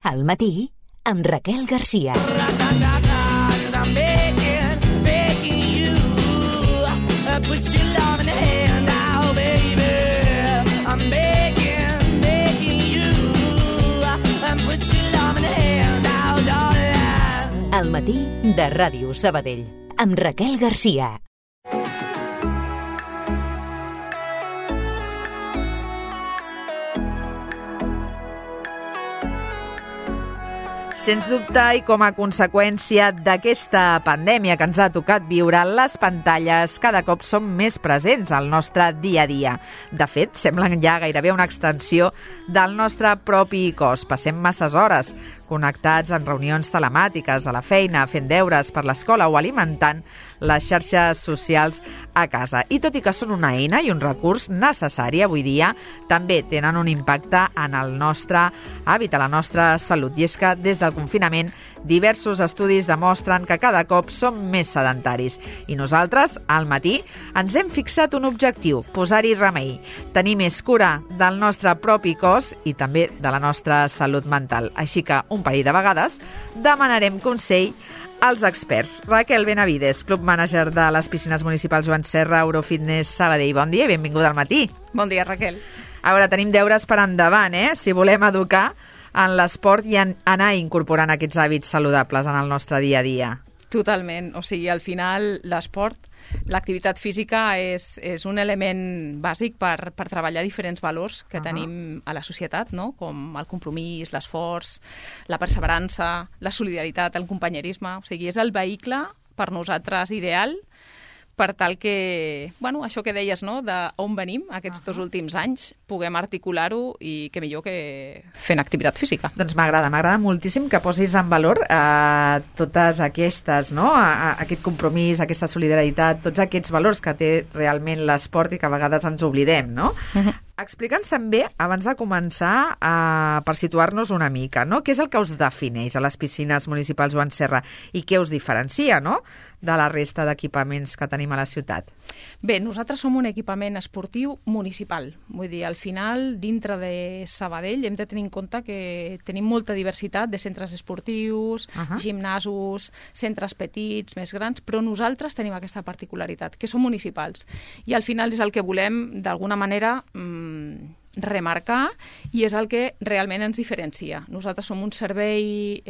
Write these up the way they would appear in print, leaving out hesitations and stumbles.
Al matí, amb Raquel Garcia. I'm begging you, put your love in the hand now, baby. I'm begging you, put your love in the hand now, darling. Al matí de Ràdio Sabadell, amb Raquel Garcia. Sens dubte, i com a conseqüència d'aquesta pandèmia que ens ha tocat viure, les pantalles cada cop són més presents al nostre dia a dia. De fet, semblen ja gairebé una extensió del nostre propi cos. Passem masses hores connectats en reunions telemàtiques, a la feina, fent deures per l'escola o alimentant les xarxes socials a casa. I tot i que són una eina i un recurs necessari avui dia, també tenen un impacte en el nostre hàbit, a la nostra salut. I és que des del confinament diversos estudis demostren que cada cop som més sedentaris. I nosaltres, al matí, ens hem fixat un objectiu, posar-hi remei, tenir més cura del nostre propi cos i també de la nostra salut mental. Així que un parell de vegades demanarem consell als experts. Raquel Benavides, Club Manager de les piscines municipals Joan Serra, Eurofitness Sabadell. Bon dia i benvinguda al matí. Bon dia, Raquel. A veure, tenim deures per endavant, si volem educar en l'esport i anar incorporant aquests hàbits saludables en el nostre dia a dia. Totalment. O sigui, al final, l'esport, l'activitat física és un element bàsic per treballar diferents valors que tenim a la societat, no? Com el compromís, l'esforç, la perseverança, la solidaritat, el companyerisme. O sigui, és el vehicle per nosaltres ideal per tal que, bueno, això que deies, no?, d'on venim aquests 2 últims anys, puguem articular-ho i que millor que fent activitat física. Doncs m'agrada moltíssim que posis en valor totes aquestes, no?, aquest compromís, aquesta solidaritat, tots aquests valors que té realment l'esport i que a vegades ens oblidem, no? Explica'ns també, abans de començar, per situar-nos una mica, no?, què és el que us defineix a les piscines municipals Joan Serra i què us diferencia, no?, de la resta d'equipaments que tenim a la ciutat? Bé, nosaltres som un equipament esportiu municipal. Vull dir, al final, dintre de Sabadell, hem de tenir en compte que tenim molta diversitat de centres esportius, gimnasos, centres petits, més grans, però nosaltres tenim aquesta particularitat, que som municipals. I al final és el que volem, d'alguna manera, remarcar, i és el que realment ens diferencia. Nosaltres som un servei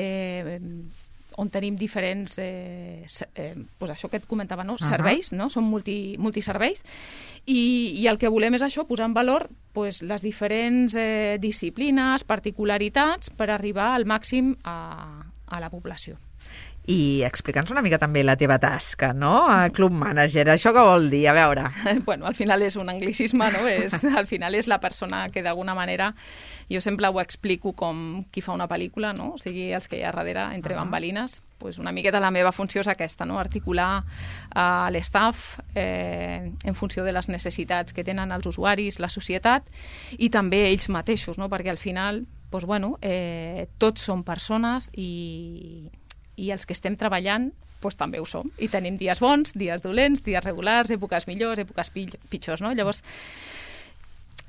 on tenim diferents, això que et comentava, no? Serveis, no? Són multiserveis, i el que volem és això, posar en valor les diferents disciplines, particularitats, per arribar al màxim a la població. I explica'ns una mica també la teva tasca, no? Club Manager, això què vol dir? A veure. Bueno, al final és un anglicisme, no? Al final és la persona que d'alguna manera, jo sempre ho explico com qui fa una pel·lícula, no? O sigui, els que hi ha darrere, entre bambalines, una miqueta la meva funció és aquesta, no? Articular l'estaf en funció de les necessitats que tenen els usuaris, la societat i també ells mateixos, no? Perquè al final, tots són persones i els que estem treballant també ho som. I tenim dies bons, dies dolents, dies regulars, èpoques millors, èpoques pitjors, no? Llavors,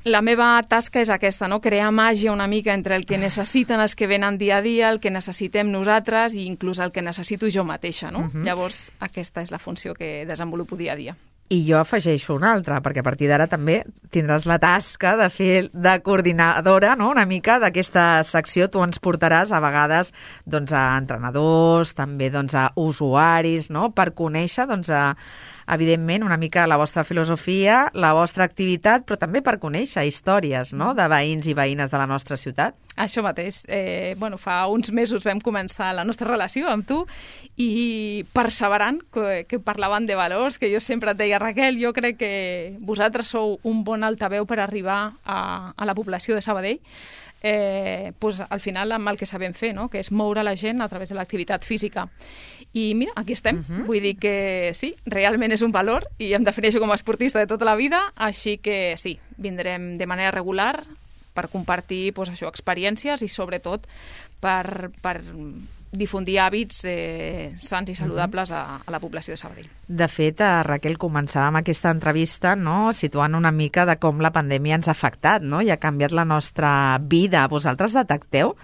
la meva tasca és aquesta, no? Crear màgia una mica entre el que necessiten els que venen dia a dia, el que necessitem nosaltres i inclús el que necessito jo mateixa, no? Llavors, aquesta és la funció que desenvolupo dia a dia. I jo afegeixo una altra, perquè a partir d'ara també tindràs la tasca de fer de coordinadora, no?, una mica d'aquesta secció. Tu ens portaràs a vegades a entrenadors, també a usuaris, no?, per conèixer, evidentment, una mica la vostra filosofia, la vostra activitat, però també per conèixer històries, no?, de veïns i veïnes de la nostra ciutat. Això mateix. Fa uns mesos vam començar la nostra relació amb tu i perseverant, que parlaven de valors, que jo sempre et deia, Raquel, jo crec que vosaltres sou un bon altaveu per arribar a la població de Sabadell. Al final amb el que sabem fer, no?, que és moure la gent a través de l'activitat física. I mira, aquí estem. Vull dir que sí, realment és un valor i em defineixo com a esportista de tota la vida, així que sí, vindrem de manera regular per compartir experiències i sobretot per difundir hàbits sants i saludables a la població de Sabadell. De fet, Raquel, començàvem aquesta entrevista, no?, situant una mica de com la pandèmia ens ha afectat, no?, i ha canviat la nostra vida. Vosaltres detecteu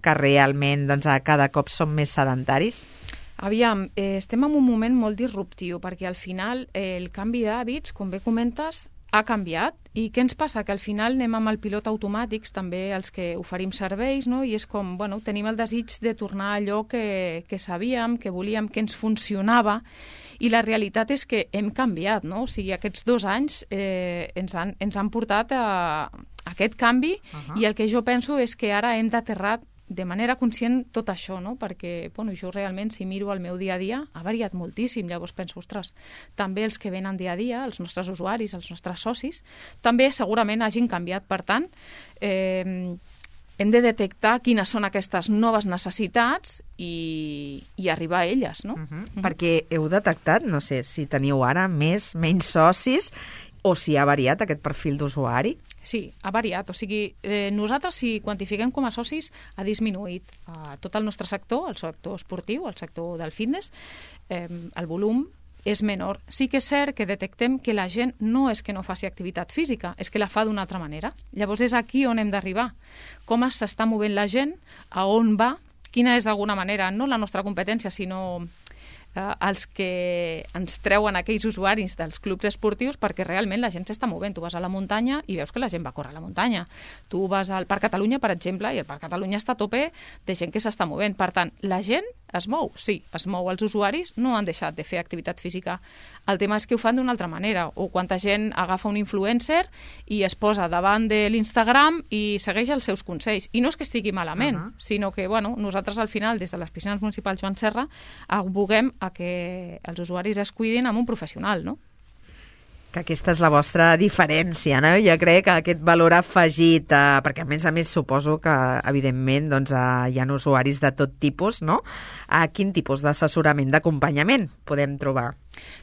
que realment cada cop som més sedentaris? Aviam, estem en un moment molt disruptiu, perquè al final el canvi d'hàbits, com bé comentes, ha canviat. I què ens passa? Que al final anem amb el pilot automàtics, també els que oferim serveis, no? I és com, tenim el desig de tornar a allò que sabíem, que volíem, que ens funcionava, i la realitat és que hem canviat, no? O sigui, aquests 2 anys ens han portat a aquest canvi, i el que jo penso és que ara hem d'aterrar de manera conscient tot això, no? Perquè jo realment, si miro el meu dia a dia, ha variat moltíssim. Llavors penso, ostres, també els que venen dia a dia, els nostres usuaris, els nostres socis, també segurament hagin canviat. Per tant, hem de detectar quines són aquestes noves necessitats i arribar a elles, no? Perquè heu detectat, no sé, si teniu ara menys socis o si ha variat aquest perfil d'usuari? Sí, ha variat. O sigui, nosaltres, si quantifiquem com a socis, ha disminuït tot el nostre sector, el sector esportiu, el sector del fitness, el volum és menor. Sí que és cert que detectem que la gent no és que no faci activitat física, és que la fa d'una altra manera. Llavors és aquí on hem d'arribar. Com s'està movent la gent, a on va, quina és d'alguna manera, no la nostra competència, sinó els que ens treuen aquells usuaris dels clubs esportius, perquè realment la gent s'està movent. Tu vas a la muntanya i veus que la gent va a córrer a la muntanya. Tu vas al Parc Catalunya, per exemple, i el Parc Catalunya està a tope de gent que s'està movent. Per tant, la gent es mou, sí, es mou. Els usuaris no han deixat de fer activitat física. El tema és que ho fan d'una altra manera. O quanta gent agafa un influencer i es posa davant de l'Instagram i segueix els seus consells. I no és que estigui malament, sinó que nosaltres al final, des de les piscines municipals Joan Serra, aboguem a que els usuaris es cuidin amb un professional, no? Que aquesta és la vostra diferència, no? Jo crec que aquest valor afegit, perquè a més suposo que, evidentment, hi ha usuaris de tot tipus, no? Quin tipus d'assessorament, d'acompanyament podem trobar?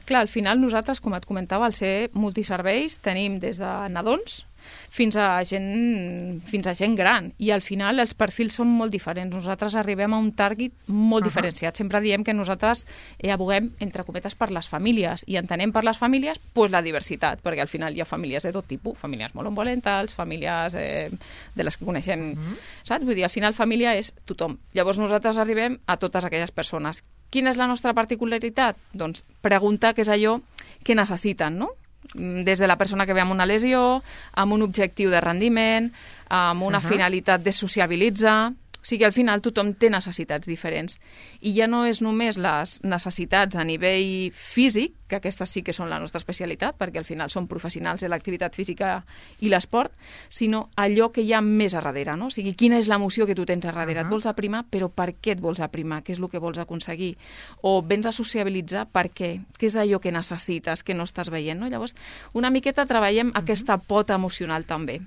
Clar, al final nosaltres, com et comentava, al ser multiserveis, tenim des de nadons fins a gent gran, i al final els perfils són molt diferents. Nosaltres arribem a un target molt diferenciat. Sempre diem que nosaltres aboguem, entre cometes, per les famílies, i entenem per les famílies la diversitat, perquè al final hi ha famílies de tot tipus, famílies monoparentals, famílies de les que coneixem, saps? Vull dir, al final família és tothom. Llavors nosaltres arribem a totes aquelles persones. Quina és la nostra particularitat? Doncs preguntar què és allò que necessiten, no? Des de la persona que ve amb una lesió, amb un objectiu de rendiment, amb una finalitat de sociabilitzar. O sigui, al final tothom té necessitats diferents. I ja no és només les necessitats a nivell físic, que aquestes sí que són la nostra especialitat, perquè al final som professionals de l'activitat física i l'esport, sinó allò que hi ha més a darrere, no? O sigui, quina és l'emoció que tu tens a darrere. Et vols aprimar, però per què et vols aprimar? Què és el que vols aconseguir? O vens a sociabilitzar, per què? Què és allò que necessites, que no estàs veient, no? Llavors, una miqueta treballem aquesta pota emocional també.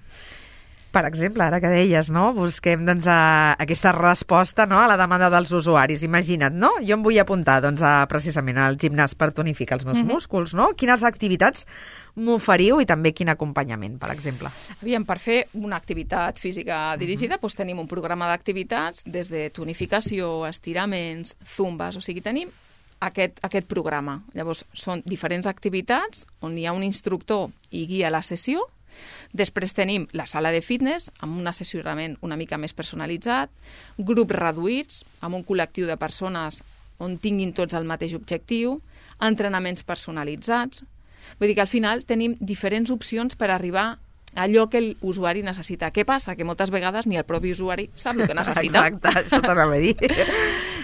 Per exemple, ara que deies, no? Busquem aquesta resposta, no? A la demanda dels usuaris. Imagina't, no? Jo em vull apuntar precisament al gimnàs per tonificar els meus músculs, no? Quines activitats m'oferiu i també quin acompanyament, per exemple? Aviam, per fer una activitat física dirigida tenim un programa d'activitats des de tonificació, estiraments, zumbes, o sigui, tenim aquest programa. Llavors, són diferents activitats on hi ha un instructor i guia la sessió. Després tenim la sala de fitness amb un assessorament una mica més personalitzat, grups reduïts amb un col·lectiu de persones on tinguin tots el mateix objectiu, entrenaments personalitzats. Vull dir que al final tenim diferents opcions per arribar a allò que l'usuari necessita. Què passa? Que moltes vegades ni el propi usuari sap el que necessita. Exacte, això t'anava a dir.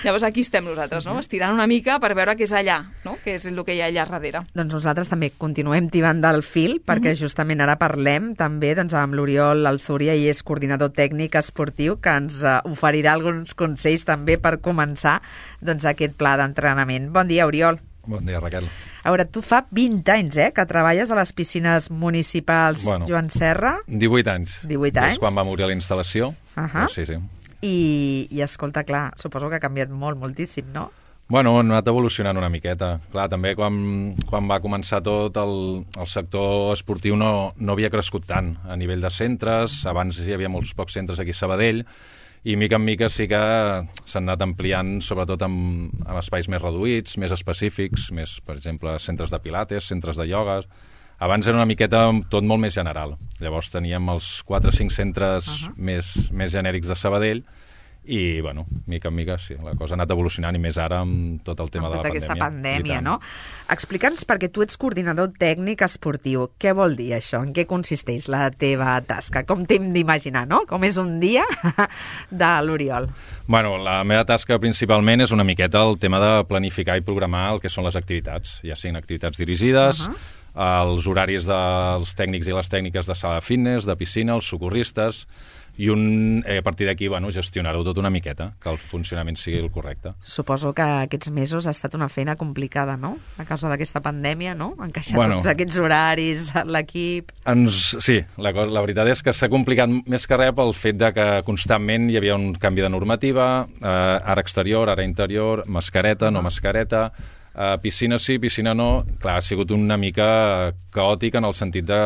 Llavors aquí estem nosaltres, no? Estirant una mica per veure què és allà, no? Què és el que hi ha allà darrere. Doncs nosaltres també continuem tibant del fil, perquè justament ara parlem també amb l'Oriol Alzúria, i és coordinador tècnic esportiu, que ens oferirà alguns consells també per començar aquest pla d'entrenament. Bon dia, Oriol. Bon dia, Raquel. A veure, tu fa 20 anys que treballes a les piscines municipals Joan Serra. 18 anys. 18 anys. És quan va morir la instal·lació. Sí. I escolta, clar, suposo que ha canviat moltíssim, no? Bueno, hem anat evolucionant una miqueta. Clar, també quan va començar tot, el sector esportiu no havia crescut tant a nivell de centres. Abans hi havia molts pocs centres aquí a Sabadell, i mica en mica sí que s'han anat ampliant, sobretot amb espais més reduïts, més específics, més, per exemple, centres de pilates, centres de ioga. Abans era una miqueta tot molt més general. Llavors teníem els 4 o 5 centres més genèrics de Sabadell, I, bueno, mica en mica, sí, la cosa ha anat evolucionant i més ara amb tot el tema de la pandèmia. Amb tota aquesta pandèmia, no? Explica'ns, perquè tu ets coordinador tècnic esportiu. Què vol dir això? En què consisteix la teva tasca? Com t'hem d'imaginar, no? Com és un dia de l'Oriol? Bueno, la meva tasca principalment és una miqueta el tema de planificar i programar el que són les activitats, ja siguin activitats dirigides, els horaris dels tècnics i les tècniques de sala de fitness, de piscina, els socorristes, i a partir d'aquí, bueno, gestionar-ho tot una miqueta, que el funcionament sigui el correcte. Suposo que aquests mesos ha estat una feina complicada, no? A causa d'aquesta pandèmia, no? Encaixar tots aquests horaris, l'equip... Sí, la veritat és que s'ha complicat més que res pel fet de que constantment hi havia un canvi de normativa, ara exterior, ara interior, mascareta, no mascareta, piscina sí, piscina no. Clar, ha sigut una mica caòtic en el sentit de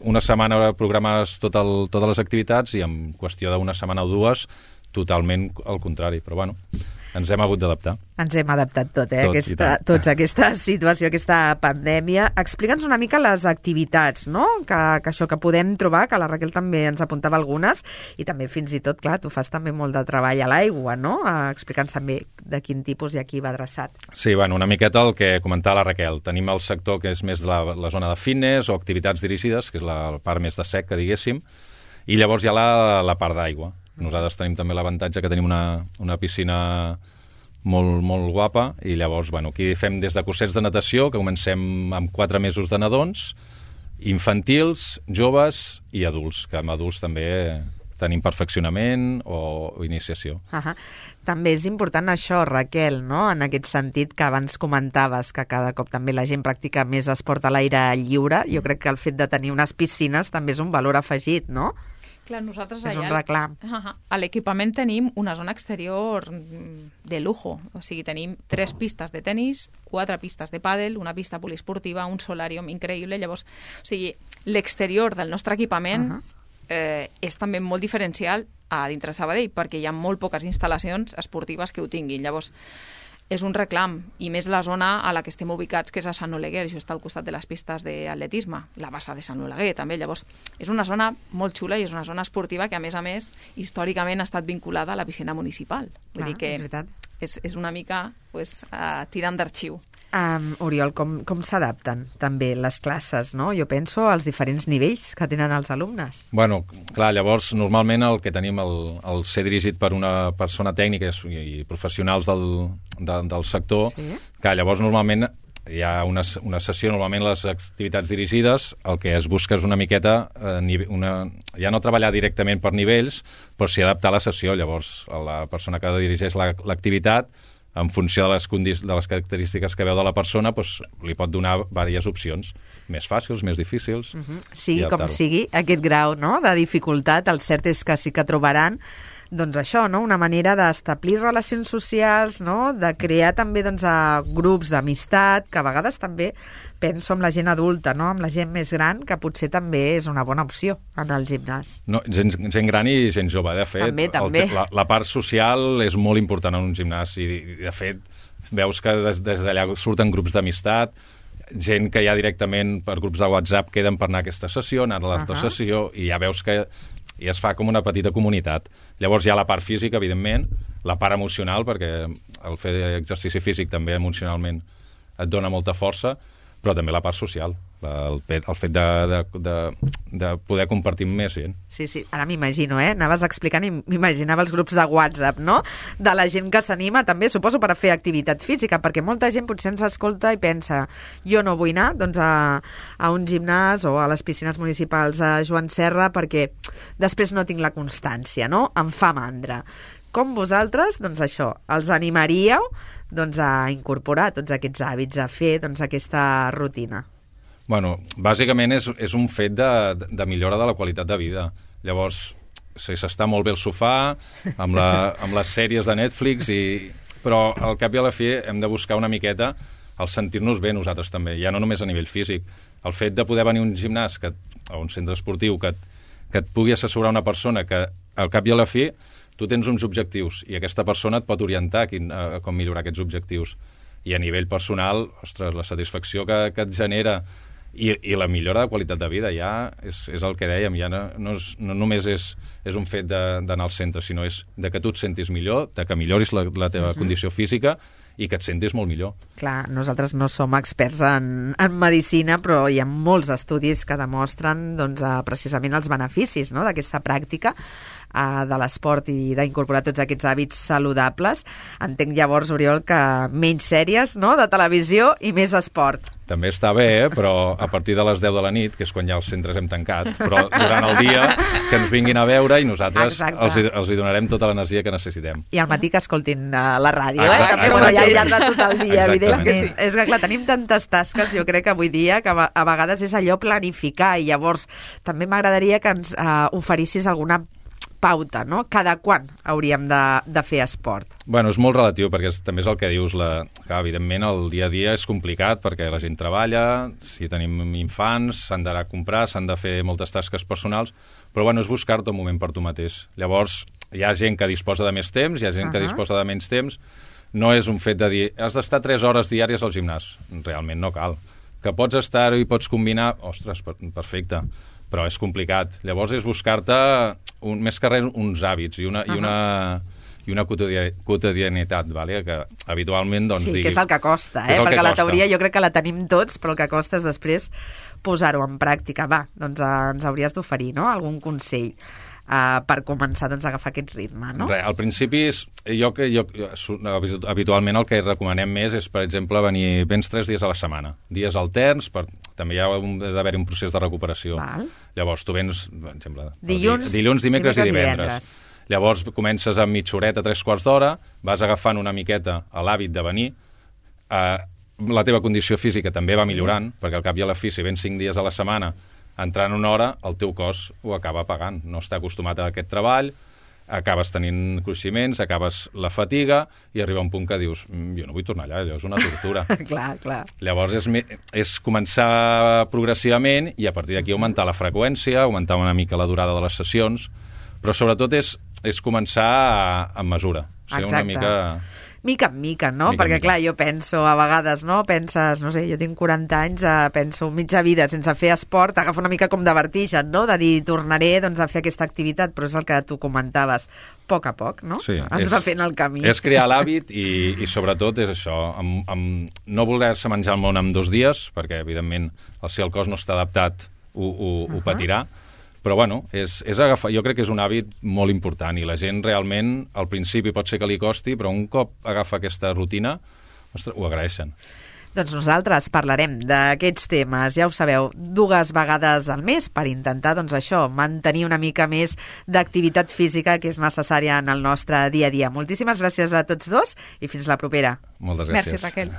una setmana programades totes les activitats i en qüestió d'una setmana o dues totalment al contrari, però bueno, ens hem hagut d'adaptar. Ens hem adaptat tots a aquesta situació, aquesta pandèmia. Explica'ns una mica les activitats, no? Que això que podem trobar, que la Raquel també ens apuntava algunes, i també fins i tot, clar, tu fas també molt de treball a l'aigua, no? Explica'ns també de quin tipus i a qui va adreçat. Sí, bueno, una miqueta el que comentava la Raquel. Tenim el sector que és més la zona de fitness o activitats dirigides, que és la part més de sec, que diguéssim, i llavors hi ha la part d'aigua. Nosaltres tenim també l'avantatge que tenim una piscina molt, molt guapa, i llavors, bueno, aquí fem des de cursets de natació, que comencem amb 4 mesos de nadons, infantils, joves i adults, que amb adults també tenim perfeccionament o iniciació. També és important això, Raquel, no? En aquest sentit que abans comentaves, que cada cop també la gent practica més esport a l'aire lliure. Jo crec que el fet de tenir unes piscines també és un valor afegit, no? Clar, nosaltres és un reclam. A l'equipament tenim una zona exterior de lujo. O sigui, tenim 3 pistes de tenis, 4 pistes de pàdel, una pista poliesportiva, un solàrium increïble. Llavors, o sigui, l'exterior del nostre equipament és també molt diferencial a dintre Sabadell, perquè hi ha molt poques instal·lacions esportives que ho tinguin. Llavors, és un reclam, i més la zona a la que estem ubicats, que és a Sant Oleguer, això està al costat de les pistes d'atletisme, la bassa de Sant Oleguer també. Llavors, és una zona molt xula i és una zona esportiva que, a més, històricament ha estat vinculada a la piscina municipal. Vull dir que és una mica tirant d'arxiu. Oriol, com s'adapten també les classes, no? Jo penso als diferents nivells que tenen els alumnes. Bueno, clar, llavors normalment el que tenim el ser dirigit per una persona tècnica i professionals del sector, que llavors normalment hi ha una sessió, normalment les activitats dirigides, el que es busca és una miqueta, ja no treballar directament per nivells, però sí adaptar la sessió. Llavors la persona que dirigeix l'activitat, en funció de les característiques que veu de la persona, doncs, li pot donar diverses opcions, més fàcils, més difícils. Sigui com sigui, aquest grau, no?, de dificultat, el cert és que sí que trobaran doncs això, no?, una manera d'establir relacions socials, no?, de crear també grups d'amistat, que a vegades també penso amb la gent adulta, no?, amb la gent més gran, que potser també és una bona opció en el gimnàs. No, gent gran i gent jove, de fet. També. La part social és molt important en un gimnàs i, de fet, veus que des d'allà surten grups d'amistat, gent que ja directament per grups de WhatsApp queden per anar a aquesta sessió, anar a l'altra sessió, i ja veus que i es fa com una petita comunitat. Llavors hi ha la part física, evidentment, la part emocional, perquè el fer exercici físic també emocionalment et dona molta força, però també la part social, el fet de poder compartir amb més gent. Sí, ara m'imagino, anaves explicant i m'imaginava els grups de WhatsApp, no?, de la gent que s'anima també, suposo, per a fer activitat física, perquè molta gent potser ens escolta i pensa, jo no vull anar a un gimnàs o a les piscines municipals a Joan Serra perquè després no tinc la constància, no?, em fa mandra. Com vosaltres, doncs això, els animaríeu a incorporar tots aquests hàbits, a fer aquesta rutina? Bueno, bàsicament és un fet de millora de la qualitat de vida. Llavors, s'està molt bé al sofà, amb les sèries de Netflix, però al cap i a la fi hem de buscar una miqueta el sentir-nos bé nosaltres també, ja no només a nivell físic. El fet de poder venir a un gimnàs o un centre esportiu que et pugui assessorar una persona que al cap i a la fi tu tens uns objectius i aquesta persona et pot orientar a com millorar aquests objectius. I a nivell personal, ostres, la satisfacció que et genera I la millora de qualitat de vida ja és el que dèiem, ja no només és un fet d'anar al centre, sinó és de que tu et sentis millor, de que milloris la teva condició física i que et sentis molt millor. Clar, nosaltres no som experts en medicina, però hi ha molts estudis que demostren doncs, precisament els beneficis, no?, d'aquesta pràctica de l'esport i d'incorporar tots aquests hàbits saludables. Entenc llavors, Oriol, que menys sèries, no?, de televisió i més esport. També està bé, però a partir de les 10 de la nit, que és quan ja els centres hem tancat, però durant el dia que ens vinguin a veure i nosaltres els hi donarem tota l'energia que necessitem. I al matí que escoltin la ràdio, també ja al llarg de tot el dia, evidentment. És que, clar, tenim tantes tasques, jo crec que avui dia, que a vegades és allò planificar, i llavors també m'agradaria que ens oferissis alguna pauta, no? Cada quan hauríem de fer esport? Bueno, és molt relatiu, perquè també és el que dius, que evidentment el dia a dia és complicat, perquè la gent treballa, si tenim infants, s'han d'anar a comprar, s'han de fer moltes tasques personals, però bueno, és buscar-te un moment per tu mateix. Llavors, hi ha gent que disposa de més temps, hi ha gent que disposa de menys temps. No és un fet de dir, has d'estar 3 hores diàries al gimnàs. Realment no cal. Que pots estar-hi i pots combinar, ostres, perfecte, però és complicat. Llavors és buscar-te, més que res, uns hàbits i una quotidianitat, vale? Que habitualment doncs, sí, que és el que costa, perquè la teoria jo crec que la tenim tots, però el que costa és després posar-ho en pràctica. Va, doncs ens hauries d'oferir, no?, algun consell per començar doncs, a agafar aquest ritme, no? Al principi, habitualment el que recomanem més és, per exemple, vens 3 dies a la setmana, dies alterns, també hi ha d'haver un procés de recuperació. Val. Llavors, tu vens, per exemple, dilluns, dimecres i divendres. Llavors, comences amb mitja horeta, 3/4 d'hora, vas agafant una miqueta l'hàbit de venir, la teva condició física també va millorant, perquè al cap i a la fi, si vens 5 dies a la setmana, entrant una hora, el teu cos ho acaba pagant. No està acostumat a aquest treball, acabes tenint cruiximents, acabes la fatiga i arriba un punt que dius, jo no vull tornar allà, allò és una tortura. Clar. Llavors és començar progressivament i a partir d'aquí augmentar la freqüència, augmentar una mica la durada de les sessions, però sobretot és començar amb mesura. Exacte. Una mica... Mica en mica, no? Perquè, clar, jo penso, a vegades, no? Penses, no sé, jo tinc 40 anys, penso mitja vida sense fer esport, agafa una mica com de vertigen, no? De dir, tornaré doncs, a fer aquesta activitat, però és el que tu comentaves, a poc, no? Sí, es va fent el camí. És crear l'hàbit i sobretot és això, no voler-se menjar el món en 2 dies, perquè, evidentment, si el cos no està adaptat, ho patirà. Però, bueno, és agafar, jo crec que és un hàbit molt important i la gent realment, al principi pot ser que li costi, però un cop agafa aquesta rutina, ostres, ho agraeixen. Doncs nosaltres parlarem d'aquests temes, ja ho sabeu, 2 vegades al mes per intentar, doncs això, mantenir una mica més d'activitat física que és necessària en el nostre dia a dia. Moltíssimes gràcies a tots dos i fins la propera. Moltes gràcies. Merci, Raquel.